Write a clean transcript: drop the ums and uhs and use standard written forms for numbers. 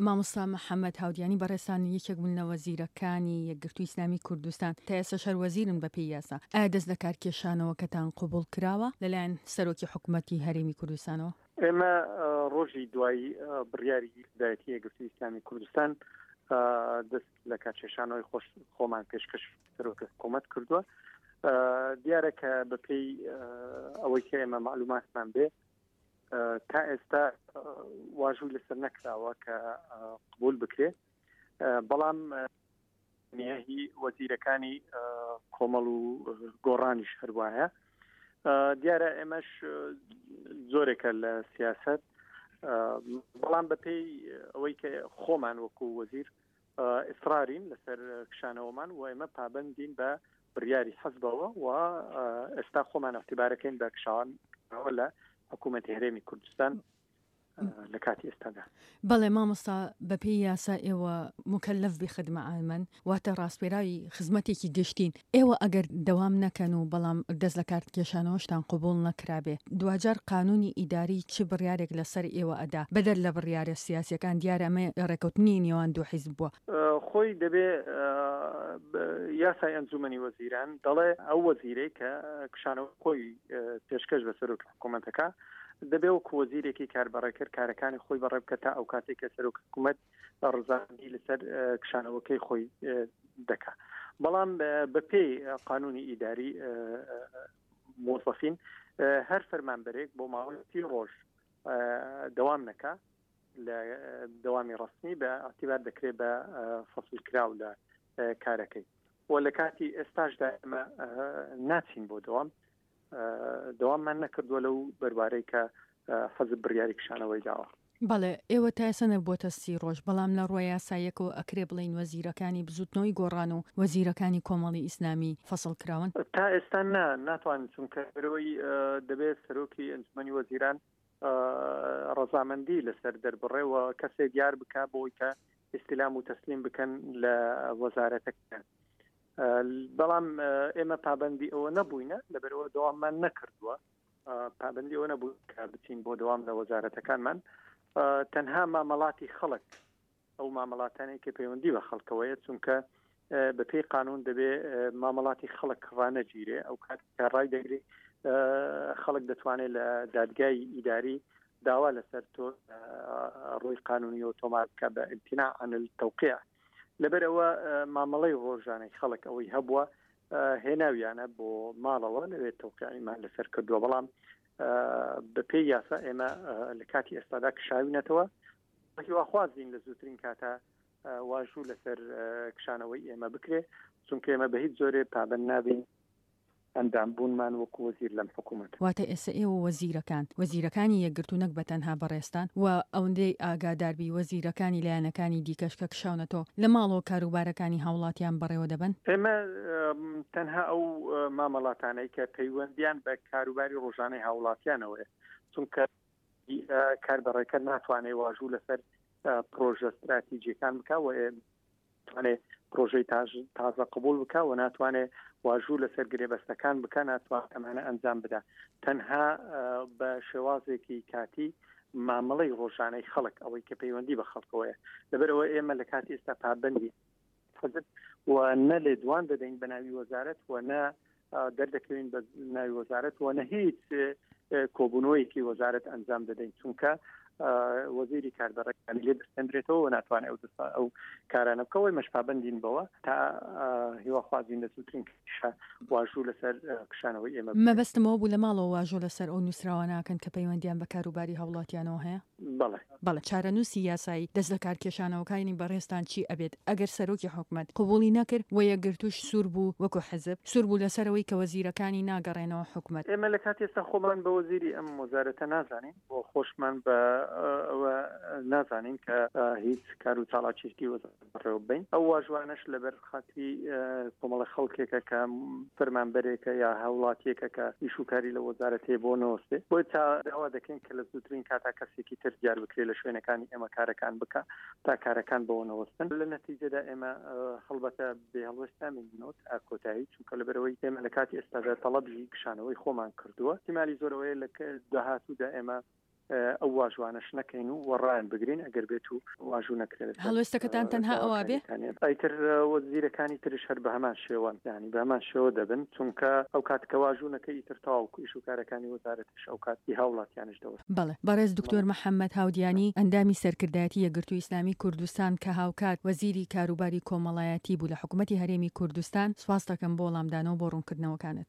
مامۆستا محەمەد هاودیانی بەڕێزتان یەکێک بوون لە وەزیرەکانی یەکگرتووی ئیسلامی کوردستان، تا ئێستاش هەر وەزیرن بەپێی یاسا، ئایا دەست لەکارکێشانەوەکەتان قبوڵ کراوە لەلایەن سەرۆکی حکومەتی هەرێمی کوردستانەوە؟ ئێمە ڕۆژی دوای بڕیاری دایەتی یەکگرتووی ئیسلامی کوردستان دەست لە کارکێشانەوەی خۆش خۆمان پێشکەش سەرۆکی حکوومەت کردووە. دیارە کە بەپێی ئەوەی کە ئێمە معلوماتمان بێ تا ئێستا واژوو لەسەر نەکراوە کە قبول بکرێ بەڵام هی وەزیرەکانی کۆمەڵ و گۆڕانیش هەروایە دیارە ئێمەش زۆرێکە لە سیاست بەڵام بەپێی ئەوەی کە خۆمان وەکو وەزیر ئیسرارین لەسەر کشانەوەمان و ئێمە پابەندین بە بڕیاری حزبەوە و ئێستا خۆمان اعتبارەکەین بە کشانەوە لە حکوومەتی هەرێمی کوردستان لە کاتی ئێستادا. بەڵێ مامۆستا بەپێی یاسا ئێوە موکەلەف بخدمە عامەن واتە ڕاسپێراوی خزمەتێکی گشتین ئێوە ئەگەر دەوام نەکەن و بەڵام دەست لەکار کێشانەوەشتان قبوڵ نەکرابێ دواجار قانونی ئیداری چ بڕیارێک لەسەر ئێوە ئەدا بەدەر لە بڕیارە سیاسیەکان دیارە ئەمە ڕێکەوتنی نێوان دوو حیزب بووە. خۆی دەبێ یاسای ئەنجومەنی وەزیران دەڵێ ئەو وەزیرەی کە کشانەوەی خۆی پێشکەش بە سەرۆکی حکوومەتەکە دەبێ وەکو وەزیرێکی کاربەڕێکەر کارەکانی خۆی بەڕێ بکە تا ئەو کاتێک کە سەرۆک حکوومەت ڕزاندی لەسەر کشانەوەکەی خۆی دەکا بەڵام بەپێی قانونی ئیداری مۆزەفین هەر فەرمانبەرێک بۆ ماوەی سی ڕۆژ دەوام نەکا لە دەوامی ڕەسمی بە ئەعتیبار دەکرێت بە فەسل کراو لە کارەکەی و لە کاتی ئێستاشدا ئێمە ناچین بۆ دەوام دەواممان نەکردووە لەو بەروارەی کە حەزب بڕیاری کشانەوەی داوە. بەڵێ ئێوە تا ئێستا نەبووەتە سی ڕۆژ، بەڵام لە ڕووە یاساییەکەوە ئەکرێ بڵێین وەزیرەکانی بزووتنەوەی گۆڕان و وەزیرەکانی کۆمەڵی ئیسلامی فەسڵ کراون؟ تا ئێستا نا، ناتوانین چونکە لەبەرئەوەی دەبێت سەرۆکی ئەنجومەنی وەزیران ڕەزامەندی لەسەر دەربڕێ و کەسێ دیار بکا بۆ ئەوەی کە ئیستیلام و تەسلیم بکەن لە وەزارەتەکەیان. بەڵام ئێمە پابندی ئەوە نەبووینە لەبەرەوە دەواممان نەکردووە پابندی ئەوە نەبوو کە بچین بۆ دەوام لە وەزارەتەکانمان تەنها مامەڵاتی خەڵک ئەو مامەڵاتانەی کە پەیوەندی بە خەڵکەوەیە چونکە بە پێی قانون دەبێ مامەڵاتی خەڵک ڕانەگیرێ ئەو کات کە ڕای دەگری خەڵک دەتوانێت لە دادگای ئیداری داوا لەسەر تۆ ڕووی قانونیەوە تۆمار بکە بە امتناع عن التوقیع لەبەر ئەوە مامەڵەی ڕۆژانەی خەڵک ئەوەی هەبووە هێناویانە بۆ ماڵەوە لەوێ تەوقیعیمان لەسەر کردووە بەڵام بەپێی یاسا ئێمە لە کاتی ئێستادا کشاوینەتەوە هیواخوازین لە زووترین کاتە واژوو لەسەر کشانەوەی ئێمە بکرێ چونکە ئێمە بە هیچ جۆرێ پابند نابین ئەندام بوونمان وەکو وەزیر لەم حکوومەتە. واتە ئێستا ئێوە وەزیرەکان، وەزیرەکانی یەکگرتوو نەک بە تەنها بەڕێزتان و ئەوندەی ئاگادار بی وەزیرەکانی لایەنەکانی دیکەش کە کشاونەتەوە لە ماڵەوە کاروبارەکانی هاوڵاتیان بەڕێوە دەبەن؟ ئێمە تەنها ئەو مامەڵاتانەی کە پەیوەندیان بە کاروباری ڕۆژانەی هاوڵاتیانەوەیە چونکە کاربەڕێکەر ناتوانێت واژوو لەسەر پرۆژە ستراتیجیەکان بکە و توانێت پرۆژەی تازە قبول بکە و ناتوانێت واژوو لەسەر گرێبەستەکان بکە ناتوان ئەمانە ئەنجام بدا تەنها بە شێوازێکی کاتی مامەڵەی ڕۆژانەی خەڵک ئەوەی کە پەیوەندی بە خەڵکەوەیە لەبەرەوە ئێمە لە کاتی ئێستا پابندی حزب و نە لێدوان دەدەین بە ناوی وەزارەت و نە دەردەکەوین بە ناوی وەزارەت و نە هیچ کۆبوونەوەیەکی وەزارەت ئەنجام دەدەین چونکە وەزیری کاربەڕێکانی لێ دەستێندرێتەوە و ناتوانێت ئەو دەستا ئەو کارانە بکەوەی مەشپابندین بەوە تا هیواخوازین لە زووترین کشە واژوو لەسەر کشانەوەی ئێمە مەبەستمەوە بوو لە ماڵەوە واژۆ لەسەر ئەو نووسراوە ناکەن کە پەیوەندیان بە کاروباری هاوڵاتیانەوە هەیە؟ بەڵێ. بەڵێ چارەنووسی یاسایی دەست لەکارکێشانەوەکانی بەڕێزتان چی ئەبێت ئەگەر سەرۆکی حکومەت قبوڵی نەکرد و یەکگرتووش سوور بوو وەکو حزب سوور بوو لەسەر ئەوەی کە وەزیرەکانی ناگەڕێنەوە حکومەت؟ ئێمە لە کاتی ئێستا خۆمان بە وەزیری ئەم وەزارەتە نازانین و خۆشمان بە ئەوە نازانین کە هیچ کار و چاڵاکیەکی وەزارەت بەڕێوە ببەین. ئەو واژوانەش لەبەر خاتری کۆمەڵە خەڵکێکە کە فەرمانبەرێکە یا هاوڵاتیەکە کە ئیش و کاری لە وەزارەت هەیە بۆ نەوەستێ. بۆیە تا داوا دەکەین کە لە زووترین کاتا کەسێکی تر دیار بکرێ لە شوێنەکانی ئێمە کارەکان بکا تا کارەکان بەوە نەوەستن. لە نەتیجەدا ئێمە هەڵبەتە بێ هەڵوێست نامێنینەوە تا کۆتایی چونکە لەبەرئەوەی ئێمە لە کاتی ئێستادا تەڵەبی کشانەوەی خۆمان کردووە. ئیحتیمالی زۆر ئەوەیە لە داهاتوودا ئێمە. ئەو واژوانەش نەکەین و وەڕایان بگرین ئەگەر بێت و واژوو نەکرێت هەڵوێستەکەتان تەنها ئەوە بێ؟ ئیتر وەزیرەکانی ترش هەر بە هەمان شێوەن یانی بە هەمان شێوە دەبن چونکە ئەو کات کە واژوو نەکەی ئیتر تەواو ئیش و کارەکانی وەزارەتیش ئەو کات ئی هاوڵاتیانیش دەوەستن. بەڵێ بەڕێز دکتۆر محەمەد هاودیانی ئەندامی سەرکردایەتی یەکگرتووی ئیسلامی کوردستان کە هاوکات وەزیری کاروباری کۆمەڵایەتی بوو لە حکومەتی هەرێمی کوردستان سوپاست دەکەم بۆ وەڵامدانەوە بۆ ڕوونکردنەوەکانت.